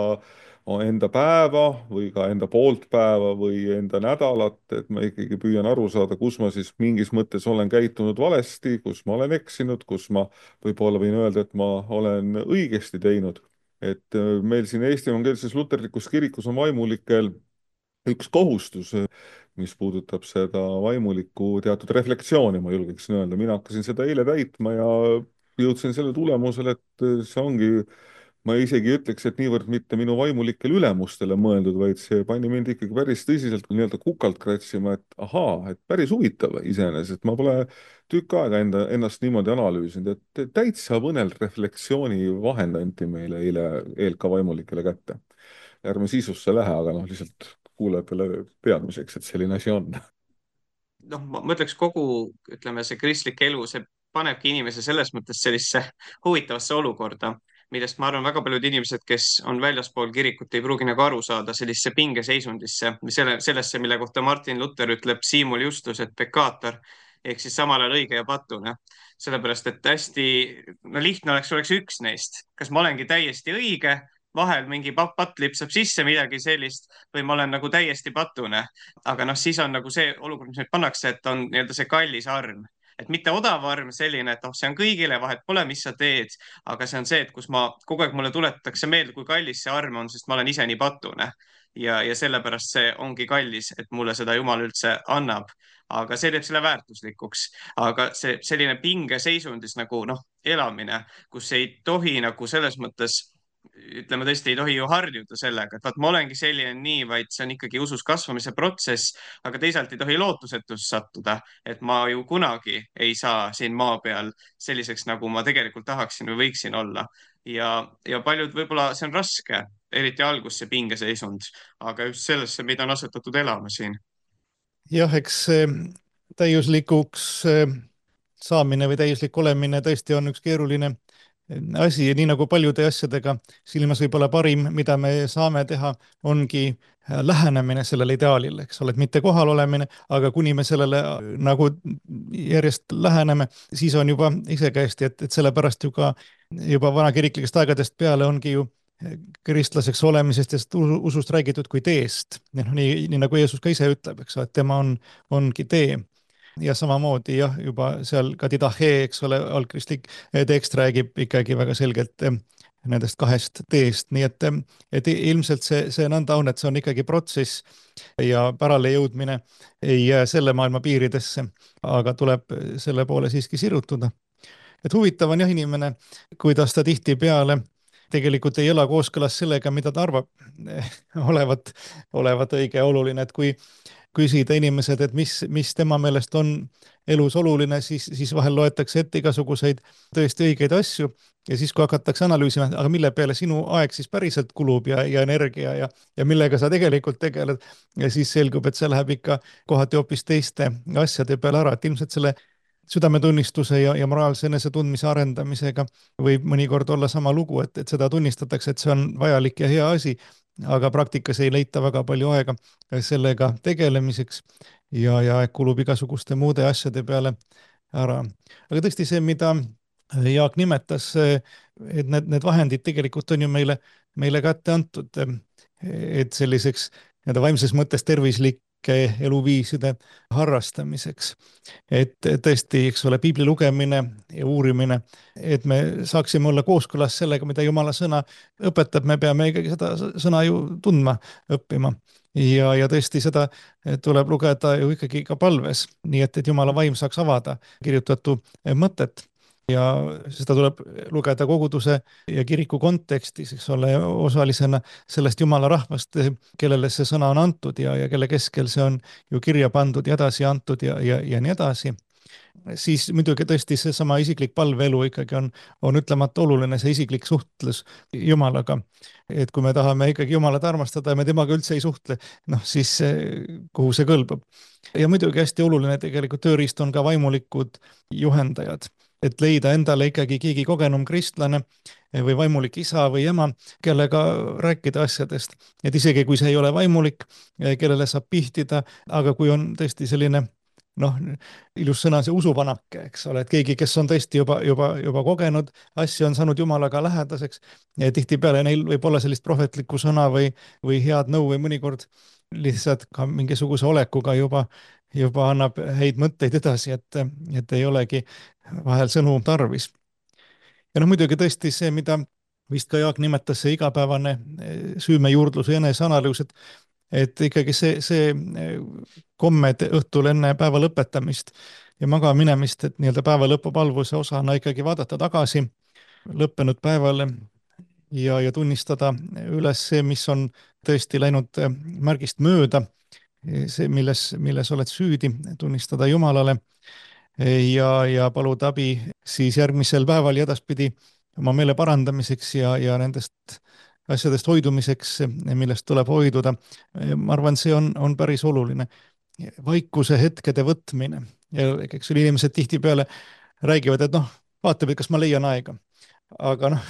enda päeva või ka enda poolt päeva või enda nädalat, et ma ikkagi püüan aru saada, kus ma siis mingis mõttes olen käitunud valesti, kus ma olen eksinud, kus ma võib-olla võin öelda, et ma olen õigesti teinud. Et meil siin Eesti Evangeelses Luterlikus Kirikus on vaimulikel üks kohustus, mis puudutab seda vaimuliku teatud reflektsiooni, ma julgeksin öelda. Mina hakkasin seda eile täitma ja jõudsin selle tulemusele, et see ongi, ma isegi ütleks, et niivõrd mitte minu vaimulikele ülemustele mõeldud, vaid see pani mind ikkagi päris tõsiselt nii-öelda kukalt kratsima, et ahaa, et päris huvitav iseenesest, ma pole tükk aega enda, ennast niimoodi analüüsinud, et täitsa põnev reflektsiooni vahend anti meile eile E L K vaimulikele kätte. Ärme sisusse lähe, aga noh, lihtsalt kuulajatele teadmiseks, et selline asi on. noh, ma ütleks kogu, ütleme, see kristlik elu, see panebki inimese selles mõttes sellisse huvitavasse olukorda, millest ma arvan, väga paljud inimesed, kes on väljaspool kirikut, ei pruugi nagu aru saada sellisesse pingeseisundisse, selle, sellesse, mille kohta Martin Luther ütleb simul justus et peccator ehk siis samal ajal õige ja patune. Sellepärast, et hästi no, lihtne oleks, oleks üks neist. Kas ma olengi täiesti õige, vahel mingi patt lipsab sisse midagi sellist või ma olen nagu täiesti patune. Aga noh, siis on nagu see olukord, mis meid pannakse, et on nii-öelda see kallis arm. Et mitte odav arm selline, et oh, see on kõigile, vahet pole, mis sa teed, aga see on see, et kus ma kogu aeg mulle tuletatakse meelde, kui kallis see arm on, sest ma olen ise nii patune. Ja, ja sellepärast see ongi kallis, et mulle seda Jumal üldse annab. Aga see teeb selle väärtuslikuks. Aga see selline pingeseisundis nagu noh, elamine, kus ei tohi nagu selles mõttes ütleme tõesti, ei tohi ju harjuda sellega, et vaat ma olengi selline nii, vaid see on ikkagi usus kasvamise protsess, aga teisalt ei tohi lootusetus sattuda, et ma ju kunagi ei saa siin maa peal selliseks, nagu ma tegelikult tahaksin või võiksin olla. Ja, ja paljud võib-olla see on raske, eriti algus see pingeseisund, aga just sellesse, mida on asetatud elama siin. Jah, eks täiuslikuks saamine või täiuslik olemine tõesti on üks keeruline asi ja nii nagu paljude asjadega silmas võib-olla parim, mida me saame teha, ongi lähenemine sellele ideaalile, eks ole, et mitte kohal olemine, aga kuni me sellele nagu järjest läheneme, siis on juba isekäesti, et, et sellepärast ju ka juba vanakiriklikest aegadest peale ongi ju kristlaseks olemisest ja usust räägitud kui teest. Nii, nii nagu Jeesus ka ise ütleb, eks ole, et tema on, ongi tee. Ja samamoodi jah, juba seal ka didache, eks ole, algkristlik tekst räägib ikkagi väga selgelt nendest kahest teest, nii et, et ilmselt see, see nõnda on, et see on ikkagi protsess ja pärale jõudmine ei jää selle maailma piiridesse, aga tuleb selle poole siiski sirutuda. Et huvitav on jah inimene, kuidas ta tihtipeale tegelikult ei ela kooskõlas sellega, mida ta arvab olevat, olevat õige ja oluline, et kui küsida inimesed, et mis, mis tema meelest on elus oluline, siis, siis vahel loetakse ette igasuguseid tõesti õigeid asju ja siis, kui hakatakse analüüsima, aga mille peale sinu aeg siis päriselt kulub ja, ja energia ja, ja millega sa tegelikult tegeled ja siis selgub, et see läheb ikka kohati hoopis teiste asjade peale ära, et ilmselt selle südametunnistuse ja, ja moraalse enesetundmise arendamisega võib mõnikord olla sama lugu, et, et seda tunnistatakse, et see on vajalik ja hea asi, aga praktikas ei leita väga palju aega sellega tegelemiseks ja, ja kulub igasuguste muude asjade peale ära. Aga tõesti see, mida Jaak nimetas, et need, need vahendid tegelikult on ju meile, meile kätte antud, et selliseks nii-öelda vaimses mõttes tervislik eluviiside harrastamiseks. Et tõesti, eks ole, piibli lugemine ja uurimine, et me saaksime olla kooskõlas sellega, mida Jumala sõna õpetab, me peame ikkagi seda sõna ju tundma, õppima. Ja, ja tõesti seda tuleb lugeda ju ikkagi ka palves, nii et, et Jumala vaim saaks avada kirjutatu mõtet. Ja seda tuleb lugeda koguduse ja kiriku kontekstis, eks ole, osalisena sellest Jumala rahvast, kellele see sõna on antud ja, ja kelle keskel see on ju kirja pandud ja edasi antud ja, ja, ja nii edasi. Siis muidugi tõesti seesama isiklik palveelu ikkagi on, on ütlemata oluline, see isiklik suhtlus Jumalaga. Et kui me tahame ikkagi Jumalat armastada ja me temaga üldse ei suhtle, noh siis kuhu see kõlbab. Ja muidugi hästi oluline tegelikult tööriist on ka vaimulikud juhendajad. et leida endale ikkagi keegi kogenum kristlane või vaimulik isa või ema, kellega rääkida asjadest. Et isegi kui see ei ole vaimulik, kellele saab pihtida, aga kui on tõesti selline noh, ilus sõna, see usuvanake, eks ole, et keegi, kes on tõesti juba, juba, juba kogenud asju, on saanud Jumalaga lähedaseks ja tihtipeale neil võib olla sellist prohvetlikku sõna või, või head nõu või mõnikord lihtsalt ka mingisuguse olekuga juba, juba annab häid mõtteid edasi, et, et ei olegi vahel sõnu tarvis. Ja noh, muidugi tõesti see, mida vist ka Jaak nimetas, see igapäevane süümejuurdlus ja eneseanalüüs, et et ikkagi see, see kommed õhtul enne päeva lõpetamist ja magama minemist, et nii-öelda päeva lõpupalvuse osana ikkagi vaadata tagasi lõppenud päevale ja, ja tunnistada üles see, mis on tõesti läinud märgist mööda, see, milles, milles oled süüdi, tunnistada Jumalale ja, ja paluda abi siis järgmisel päeval ja edaspidi oma meele parandamiseks ja, ja nendest asjadest hoidumiseks, millest tuleb hoiduda. Ma arvan, see on, on päris oluline. Vaikuse hetkede võtmine. Ja eks inimesed tihtipeale räägivad, et noh, vaatab, et kas ma leian aega. Aga noh,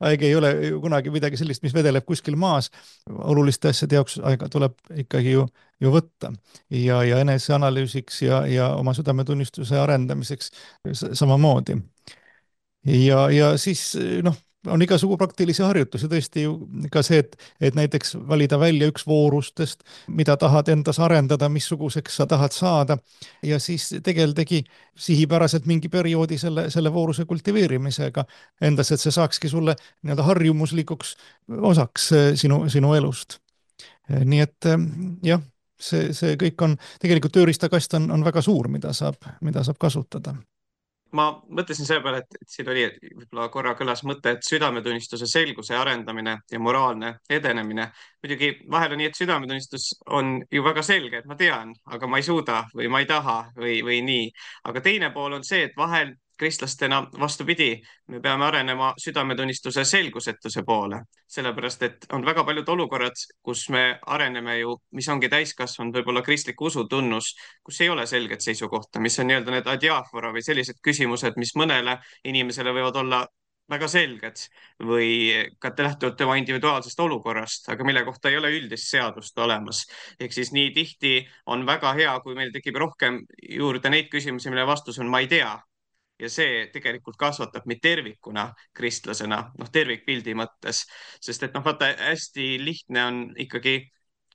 aeg ei ole kunagi midagi sellist, mis vedeleb kuskil maas. Oluliste asjade jaoks aega tuleb ikkagi ju, ju võtta. Ja, ja eneseanalüüsiks ja, ja oma südametunnistuse arendamiseks samamoodi. Ja, ja siis noh, on igasugu praktilisi harjutusi, tõesti ju ka see, et, et näiteks valida välja üks voorustest, mida tahad endas arendada, missuguseks sa tahad saada ja siis tegeldagi sihipäraselt mingi perioodi selle, selle vooruse kultiveerimisega endas, et see saakski sulle nii-öelda harjumuslikuks osaks sinu, sinu elust. Nii et jah, see, see kõik on, tegelikult tööriistakast on, on väga suur, mida saab, mida saab kasutada. Ma mõtlesin selle peale, et, et siin oli, et võib-olla korra kõlas mõte, et südametunnistuse selguse arendamine ja moraalne edenemine. Muidugi vahel on nii, et südametunnistus on ju väga selge, et ma tean, aga ma ei suuda või ma ei taha või, või nii. Aga teine pool on see, et vahel kristlastena vastupidi, me peame arenema südametunnistuse selgusetuse poole, sellepärast et on väga paljud olukorrad, kus me areneme ju, mis ongi täiskasvanud võib-olla kristliku usu tunnus, kus ei ole selget seisukohta, mis on nii-öelda need adiafora või sellised küsimused, mis mõnele inimesele võivad olla väga selged või ka lähtuvalt tema individuaalsest olukorrast, aga mille kohta ei ole üldist seadust olemas. Ehk siis nii tihti on väga hea, kui meil tekib rohkem juurde neid küsimusi, mille vastus on ma ei tea. Ja see tegelikult kasvatab meid tervikuna kristlasena, noh tervikpildi mõttes, sest et noh, vaata hästi lihtne on ikkagi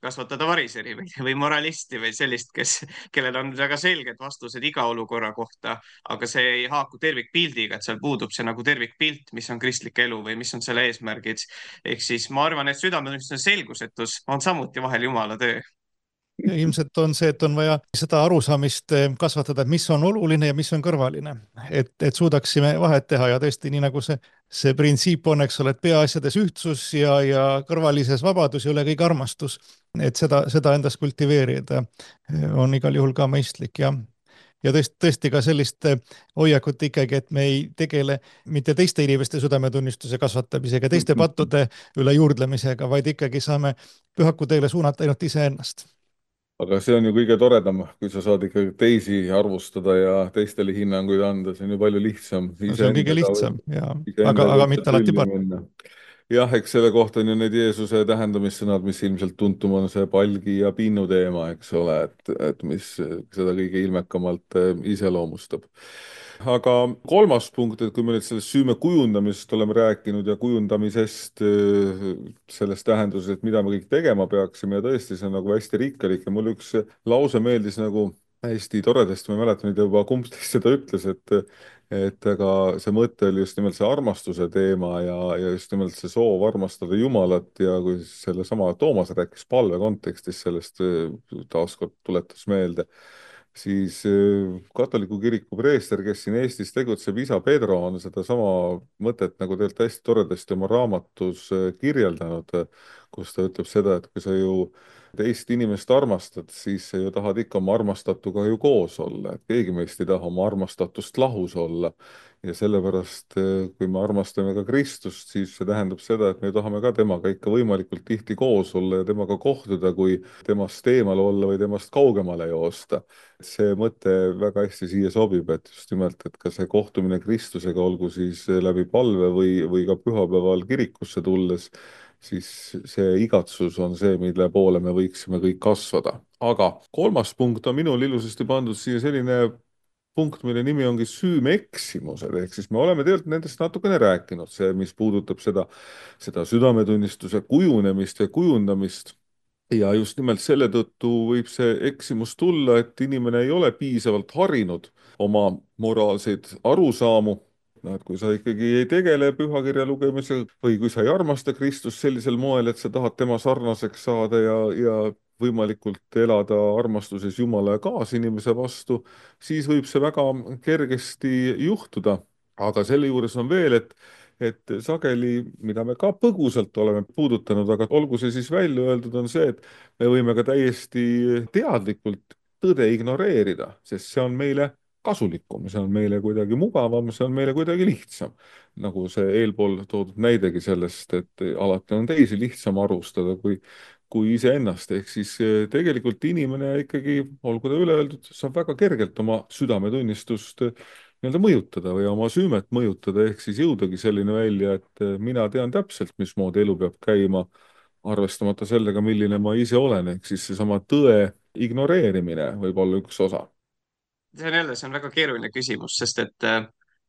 kasvatada variseri või, või moralisti või sellist, kes, kellel on väga selged vastused iga olukorra kohta, aga see ei haaku tervikpildiga, et seal puudub see nagu tervikpilt, mis on kristlik elu või mis on selle eesmärgid. Ehk siis ma arvan, et südametunnistuse selgusetus on samuti vahel Jumala töö. Ja ilmselt on see, et on vaja seda arusaamist kasvatada, et mis on oluline ja mis on kõrvaline, et, et suudaksime vahet teha ja tõesti nii nagu see, see printsiip on, eks ole, et peaasjades ühtsus ja, ja kõrvalises vabadus ja üle kõik armastus, et seda, seda endas kultiveerida on igal juhul ka mõistlik ja ja tõesti, tõesti ka sellist hoiakut ikkagi, et me ei tegele mitte teiste inimeste südametunnistuse kasvatamisega, teiste pattude üle juurdlemisega, vaid ikkagi saame pühaku teele suunata ainult iseennast. Aga see on ju kõige toredam, kui sa saad ikkagi teisi arvustada ja teistele hinnanguid anda, see on ju palju lihtsam. No, see on kõige lihtsam, ja, aga, aga mitte alati parem. Jah, eks selle kohta on ju need Jeesuse tähendamissõnad, mis ilmselt tuntum on see palgi ja pinnu teema, eks ole, et, et mis seda kõige ilmekamalt iseloomustab. Aga kolmas punkt, et kui me nüüd sellest süüme kujundamisest oleme rääkinud ja kujundamisest selles tähenduses, et mida me kõik tegema peaksime ja tõesti see on nagu hästi rikkalik ja mul üks lause meeldis nagu hästi toredasti, ma ei mäleta nüüd juba kumb teist seda ütles, et et aga see mõte oli just nimelt see armastuse teema ja, ja just nimelt see soov armastada Jumalat ja kui sellesama Toomas rääkis palve kontekstis sellest taaskord tuletas meelde, siis katoliku kiriku preester, kes siin Eestis tegutseb, isa Pedro on sedasama mõtet nagu tegelikult hästi toredasti oma raamatus kirjeldanud, kus ta ütleb seda, et kui sa ju teist inimest armastad, siis sa ju tahad ikka oma armastatuga ju koos olla, et keegi meist ei taha oma armastatust lahus olla. Ja sellepärast, kui me armastame ka Kristust, siis see tähendab seda, et me tahame ka temaga ikka võimalikult tihti koos olla ja temaga kohtuda, kui temast eemal olla või temast kaugemale joosta. See mõte väga hästi siia sobib, et just nimelt, et ka see kohtumine Kristusega, olgu siis läbi palve või, või ka pühapäeval kirikusse tulles, siis see igatsus on see, mille poole me võiksime kõik kasvada. Aga kolmas punkt on minul ilusasti pandud siia selline punkt, mille nimi ongi süümeeksimused, ehk siis me oleme tegelikult nendest natukene rääkinud, see, mis puudutab seda, seda südametunnistuse kujunemist ja kujundamist. Ja just nimelt selle tõttu võib see eksimus tulla, et inimene ei ole piisavalt harinud oma moraalseid arusaamu. No, et kui sa ikkagi ei tegele pühakirja lugemisega või kui sa ei armasta Kristust sellisel moel, et sa tahad tema sarnaseks saada ja, ja võimalikult elada armastuses Jumala ja kaasinimese vastu, siis võib see väga kergesti juhtuda. Aga selle juures on veel, et, et sageli, mida me ka põgusalt oleme puudutanud, aga olgu see siis välja öeldud, on see, et me võime ka täiesti teadlikult tõde ignoreerida, sest see on meile kasulikum, see on meile kuidagi mugavam, see on meile kuidagi lihtsam. Nagu see eelpool toodud näidegi sellest, et alati on teisi lihtsam arvustada kui, kui iseennast. Ehk siis tegelikult inimene ikkagi, olgu ta üle öeldud, saab väga kergelt oma südametunnistust nii-öelda mõjutada või oma süümet mõjutada, ehk siis jõudagi selline välja, et mina tean täpselt, mismoodi elu peab käima, arvestamata sellega, milline ma ise olen, ehk siis seesama tõe ignoreerimine võib olla üks osa. See on jälle, see on väga keeruline küsimus, sest et äh,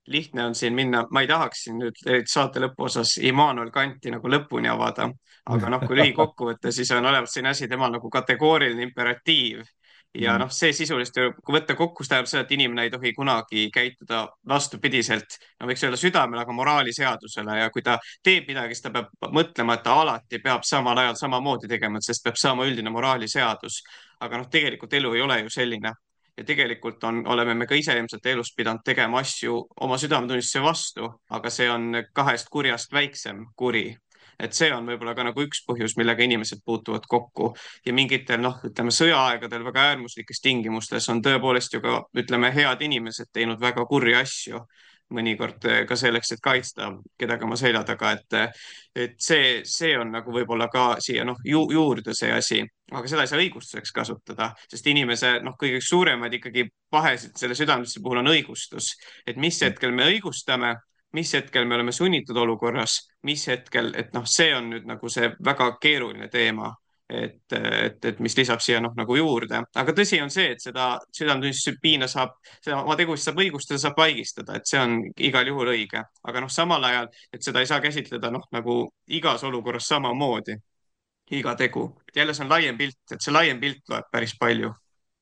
lihtne on siin minna, ma ei tahaks siin nüüd saate lõpuosas Immanuel Kanti nagu lõpuni avada, aga noh, kui lühikokkuvõte, siis on olemas selline asi, temal nagu kategooriline imperatiiv ja noh, see sisuliselt, kui võtta kokku, see tähendab seda, et inimene ei tohi kunagi käituda vastupidiselt, no võiks öelda südamele, aga moraaliseadusele ja kui ta teeb midagi, siis ta peab mõtlema, et ta alati peab samal ajal samamoodi tegema, sest peab saama üldine moraaliseadus. Aga noh, tegelikult elu ei ole ju selline. Ja tegelikult on, oleme me ka ise ilmselt elus pidanud tegema asju oma südametunnistuse vastu, aga see on kahest kurjast väiksem kuri. Et see on võib-olla ka nagu üks põhjus, millega inimesed puutuvad kokku ja mingitel, noh, ütleme sõjaaegadel väga äärmuslikes tingimustes on tõepoolest ju ka, ütleme, head inimesed teinud väga kurji asju, mõnikord ka selleks, et kaitsta kedagi oma selja taga, et, et see, see on nagu võib-olla ka siia noh ju, juurde see asi, aga seda ei saa õigustuseks kasutada, sest inimese noh, kõige suuremaid ikkagi pahesid selle südametunnistuse puhul on õigustus, et mis hetkel me õigustame, mis hetkel me oleme sunnitud olukorras, mis hetkel, et noh, see on nüüd nagu see väga keeruline teema. Et, et, et mis lisab siia noh nagu juurde, aga tõsi on see, et seda südametunnistuse piina saab, seda oma tegusid saab õigustada, saab vaigistada, et see on igal juhul õige, aga noh, samal ajal, et seda ei saa käsitleda noh, nagu igas olukorras samamoodi, iga tegu, et jälle see on laiem pilt, et see laiem pilt loeb päris palju.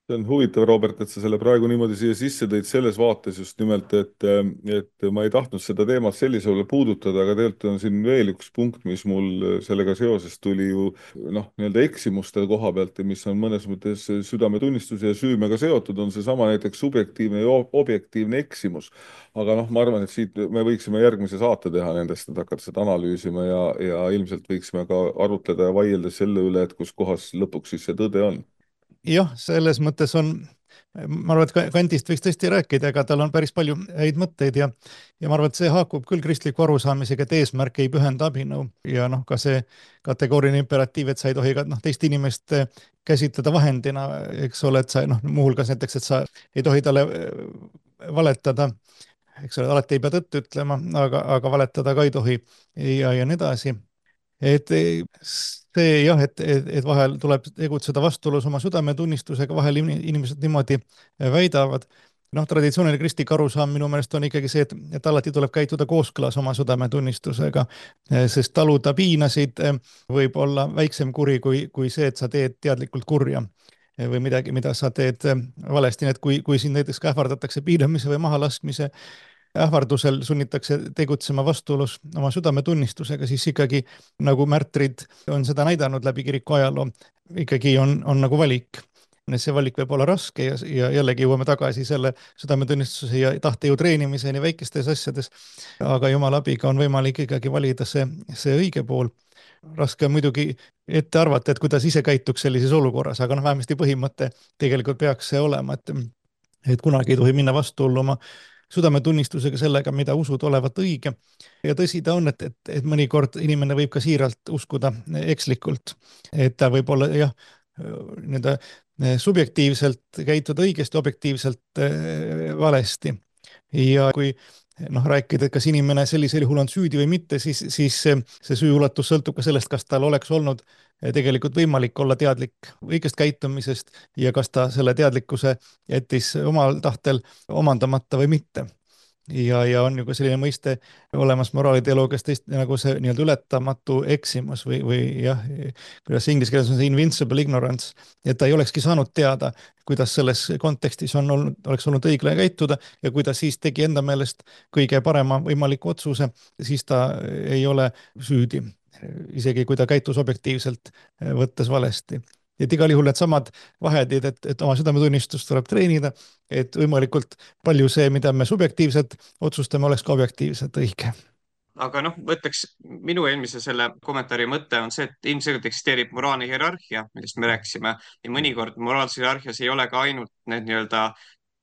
See on huvitav, Robert, et sa selle praegu niimoodi siia sisse tõid selles vaates just nimelt, et, et ma ei tahtnud seda teemat sellisele puudutada, aga tegelikult on siin veel üks punkt, mis mul sellega seoses tuli ju noh, nii-öelda eksimuste koha pealt ja mis on mõnes mõttes südametunnistuse ja süümega seotud, on seesama näiteks subjektiivne ja objektiivne eksimus. Aga noh, ma arvan, et siit me võiksime järgmise saate teha nendest, et hakata seda analüüsima ja, ja ilmselt võiksime ka arutleda ja vaielda selle üle, et kus kohas lõpuks siis see tõde on. Jah, selles mõttes on, ma arvan, et Kantist võiks tõesti rääkida, aga tal on päris palju häid mõtteid ja, ja ma arvan, et see haakub küll kristliku arusaamisega, et eesmärk ei pühenda abinõu ja noh, ka see kategooriline imperatiiv, et sa ei tohi ka noh, teist inimest käsitleda vahendina, eks ole, et sa noh, muuhulgas näiteks, et sa ei tohi talle valetada, eks ole, alati ei pea tõtt ütlema, aga, aga valetada ka ei tohi ja, ja nii edasi. Et see jah, et, et, et vahel tuleb tegutseda vastuolus oma südametunnistusega, vahel inimesed niimoodi väidavad. Noh, traditsiooniline kristlik arusaam minu meelest on ikkagi see, et, et alati tuleb käituda kooskõlas oma südametunnistusega, sest taluda piinasid võib olla väiksem kuri kui, kui see, et sa teed teadlikult kurja või midagi, mida sa teed valesti. Et kui, kui siin näiteks ka ähvardatakse piinamise või mahalaskmise ähvardusel sunnitakse tegutsema vastuolus oma südametunnistusega, siis ikkagi nagu märtrid on seda näidanud läbi kiriku ajaloo, ikkagi on, on nagu valik. see valik võib olla raske ja, ja jällegi jõuame tagasi selle südametunnistuse ja tahtejõu treenimiseni väikestes asjades, aga Jumala abiga on võimalik ikkagi valida see, see õige pool. Raske on muidugi ette arvata, et kuidas ise käituks sellises olukorras, aga noh, vähemasti põhimõte tegelikult peaks see olema, et, et kunagi ei tohi minna vastuollu oma südametunnistusega sellega, mida usud olevat õige. Ja tõsi ta on, et, et, et mõnikord inimene võib ka siiralt uskuda ekslikult, et ta võib olla jah, nii-öelda subjektiivselt käituda õigesti, objektiivselt valesti. Ja kui noh, rääkida, et kas inimene sellisel juhul on süüdi või mitte, siis, siis see süü ulatus sõltub ka sellest, kas tal oleks olnud tegelikult võimalik olla teadlik õigest käitumisest ja kas ta selle teadlikkuse jättis omal tahtel omandamata või mitte. Ja, ja on ju ka selline mõiste olemas moraaliteoloogias tõesti nagu see nii-öelda ületamatu eksimus või, või jah, kuidas inglise keeles on see invincible ignorance, et ta ei olekski saanud teada, kuidas selles kontekstis on olnud, oleks olnud õiglane käituda ja kui ta siis tegi enda meelest kõige parema võimaliku otsuse, siis ta ei ole süüdi, isegi kui ta käitus objektiivselt võttes valesti. Et igal juhul need samad vahendid, et, et oma südametunnistust tuleb treenida, et võimalikult palju see, mida me subjektiivselt otsustame, oleks ka objektiivselt õige. Aga noh, võtaks minu eelmise selle kommentaari mõte on see, et ilmselgelt eksisteerib moraalne hierarhia, millest me rääkisime ja mõnikord moraalses hierarhias ei ole ka ainult need nii-öelda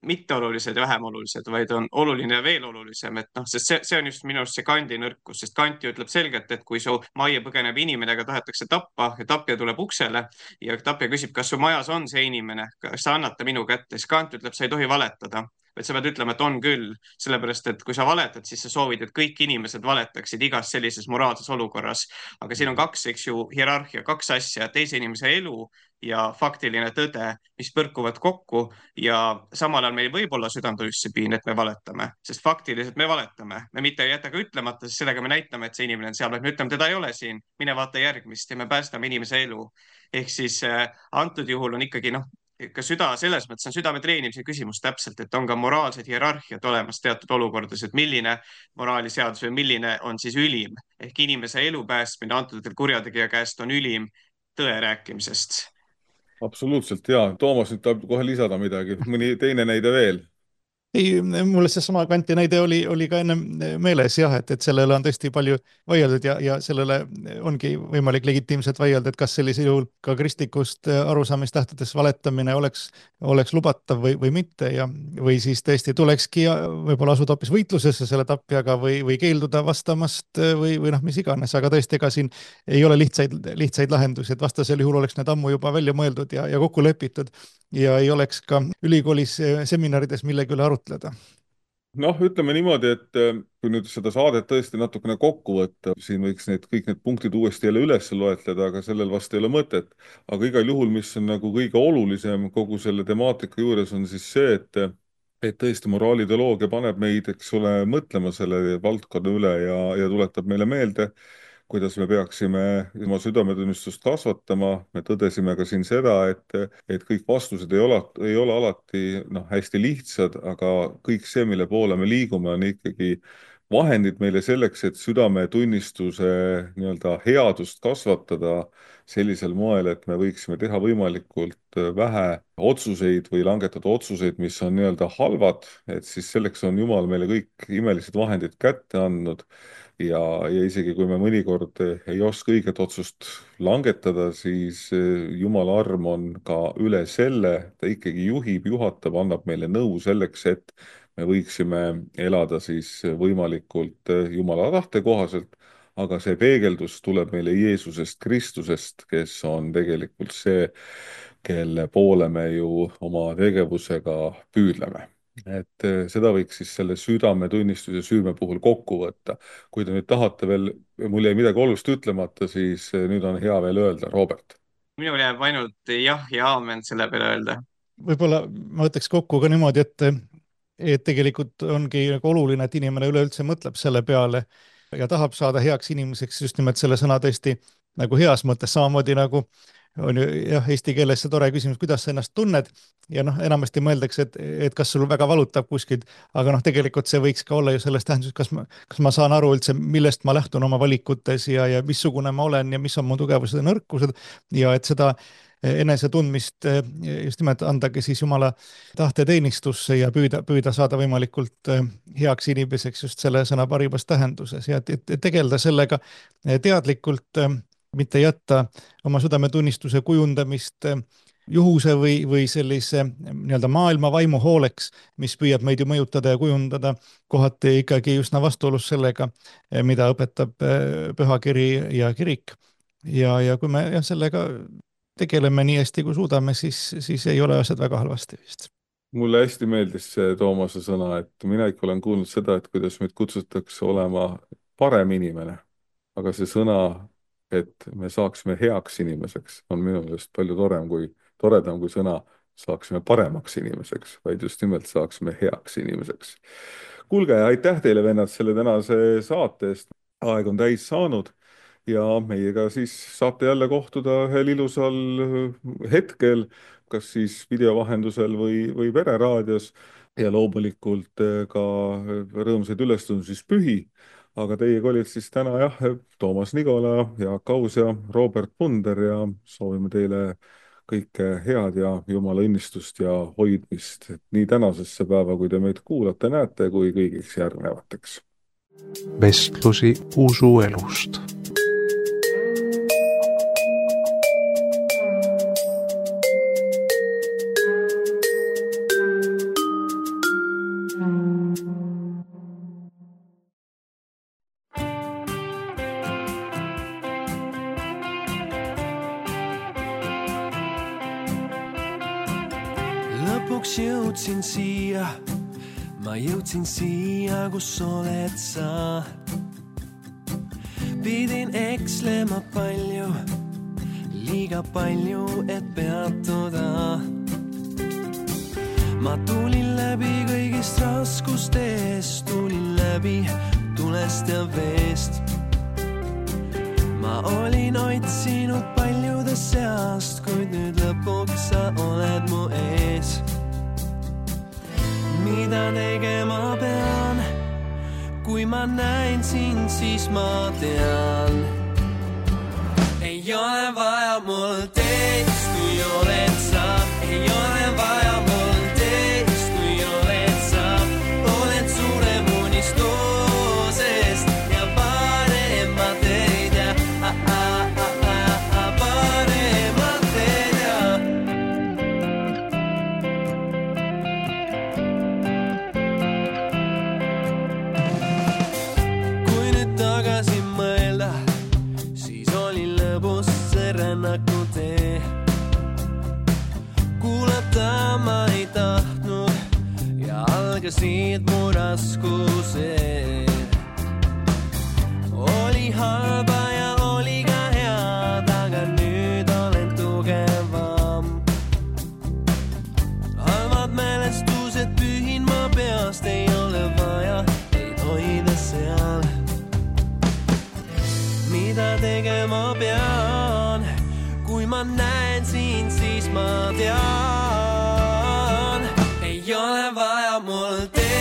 mitteolulised ja vähem olulised, vaid on oluline ja veel olulisem, et noh, sest see, see on just minu arust see Kanti nõrkus, sest Kant ju ütleb selgelt, et kui su majja põgeneb inimene, aga tahetakse tappa ja tapja tuleb uksele ja tapja küsib, kas su majas on see inimene, kas sa annad ta minu kätte, siis Kant ütleb, sa ei tohi valetada, vaid sa pead ütlema, et on küll, sellepärast et kui sa valetad, siis sa soovid, et kõik inimesed valetaksid igas sellises moraalses olukorras. Aga siin on kaks, eks ju, hierarhia, kaks asja, teise inimese elu ja faktiline tõde, mis põrkuvad kokku ja samal ajal meil võib olla südametunnistusepin, et me valetame, sest faktiliselt me valetame. Me mitte ei jäta ka ütlemata, sest sellega me näitame, et see inimene on seal, vaid me ütleme, teda ei ole siin, mine vaata järgmist ja me päästame inimese elu. Ehk siis äh, antud juhul on ikkagi noh, ka süda selles mõttes on südame treenimise küsimus täpselt, et on ka moraalsed hierarhiad olemas teatud olukordades, et milline moraaliseadus või milline on siis ülim. Ehk inimese elu päästmine antud kurjategija käest on ülim tõe rääkimisest. Absoluutselt, jaa. Toomas nüüd tahab kohe lisada midagi. Mõni teine näide veel? Ei, mulle see sama Kanti näide oli, oli ka enne meeles jah, et, et sellele on tõesti palju vaieldud ja, ja sellele ongi võimalik legitiimselt vaielda, et kas sellisel juhul ka kristlikust arusaamist lähtudes valetamine oleks, oleks lubatav või, või mitte ja, või siis tõesti tulekski võib-olla asuda hoopis võitlusesse selle tapjaga või, või keelduda vastamast või, või noh, mis iganes, aga tõesti, ega siin ei ole lihtsaid, lihtsaid lahendusi, et vastasel juhul oleks need ammu juba välja mõeldud ja, ja kokku lepitud ja ei oleks ka ülikoolis seminarides millegi üle arutleda. Noh, ütleme niimoodi, et kui nüüd seda saadet tõesti natukene kokku võtta, siin võiks need, kõik need punktid uuesti jälle üles loetleda, aga sellel vast ei ole mõtet. Aga igal juhul, mis on nagu kõige olulisem kogu selle temaatika juures on siis see, et, et tõesti moraalideoloogia paneb meid, eks ole, mõtlema selle valdkonna üle ja, ja tuletab meile meelde, kuidas me peaksime oma südametunnistust kasvatama. Me tõdesime ka siin seda, et, et kõik vastused ei ole, ei ole alati noh, hästi lihtsad, aga kõik see, mille poole me liigume, on ikkagi vahendid meile selleks, et südametunnistuse nii-öelda headust kasvatada sellisel moel, et me võiksime teha võimalikult vähe otsuseid või langetada otsuseid, mis on nii-öelda halvad, et siis selleks on Jumal meile kõik imelised vahendid kätte andnud. Ja, ja isegi kui me mõnikord ei oska õiget otsust langetada, siis Jumala arm on ka üle selle, ta ikkagi juhib, juhatab, annab meile nõu selleks, et me võiksime elada siis võimalikult Jumala tahte kohaselt, aga see peegeldus tuleb meile Jeesusest Kristusest, kes on tegelikult see, kelle poole me ju oma tegevusega püüdleme. Et seda võiks siis selle südametunnistuse süüme puhul kokku võtta. Kui te nüüd tahate veel, mul jäi midagi olulist ütlemata, siis nüüd on hea veel öelda, Robert. Minul jääb ainult jah ja aamen selle peale öelda. Võib-olla ma võtaks kokku ka niimoodi, et, et tegelikult ongi oluline, et inimene üleüldse mõtleb selle peale ja tahab saada heaks inimeseks just nimelt selle sõna tõesti nagu heas mõttes, samamoodi nagu on ju jah, eesti keeles see tore küsimus, kuidas sa ennast tunned ja noh, enamasti mõeldakse, et, et kas sul väga valutab kuskilt, aga noh, tegelikult see võiks ka olla ju selles tähenduses, kas ma, kas ma saan aru üldse, millest ma lähtun oma valikutes ja, ja missugune ma olen ja mis on mu tugevused ja nõrkused ja et seda enese tundmist just nimelt andagi siis Jumala tahteteenistusse ja püüda, püüda saada võimalikult heaks inimeseks just selle sõna parimas tähenduses ja et tegeleda sellega teadlikult, mitte jätta oma südametunnistuse kujundamist juhuse või, või sellise nii-öelda maailma vaimu hooleks, mis püüab meid ju mõjutada ja kujundada kohati ikkagi üsna vastuolus sellega, mida õpetab pühakiri ja kirik. Ja, ja kui me jah, sellega tegeleme nii hästi, kui suudame, siis, siis ei ole asjad väga halvasti vist. Mulle hästi meeldis see Toomase sõna, et mina ikka olen kuulnud seda, et kuidas meid kutsutakse olema parem inimene, aga see sõna, et me saaksime heaks inimeseks, on minu meelest palju torem kui, toredam kui sõna saaksime paremaks inimeseks, vaid just nimelt saaksime heaks inimeseks. Kuulge, aitäh teile, vennad, selle tänase saate eest. Aeg on täis saanud. Ja meiega siis saate jälle kohtuda ühel ilusal hetkel, kas siis videovahendusel või, või vereraadios ja loomulikult ka rõõmsaid ülestundus pühi. Aga teiega olid siis täna jah, Toomas Nigola, Jaak Aus ja Robert Punder ja soovime teile kõike head ja Jumala õnnistust ja hoidmist nii tänasesse päeva, kui te meid kuulate, näete, kui kõigiks järgnevateks. Vestlusi usuelust. Lõpuks jõudsin siia, ma jõudsin siia, kus oled sa. Pidin ekslema palju, liiga palju, et peatuda. Ma tulin läbi kõigist raskustest, tulin läbi tulest ja veest. Ma olin otsinud paljude seast, kuid nüüd lõpuks sa oled mu ees. Mida tegema pean, kui ma näin sind, siis ma tean. Ei ole vaja mul teist, kui oled sa. Ei ole vaja mul teist, kui oled sa. Oled suurem unistusest ja paremat ei tea. Ah, ah, ah, ah, ah, paremat ei tea. Kui nüüd tagasi mõelda, siis oli lõbus see rännaku tee. Kuulata ma ei tahtnud ja algasid mu raskused. Oli halba ja oli ka head, aga nüüd olen tugevam. Halvad mälestused pühin ma peast, ei ole vaja neid hoida seal. Mida tegema pean, kui ma näen sind, siis ma tean. Ei ole vaja mul teha.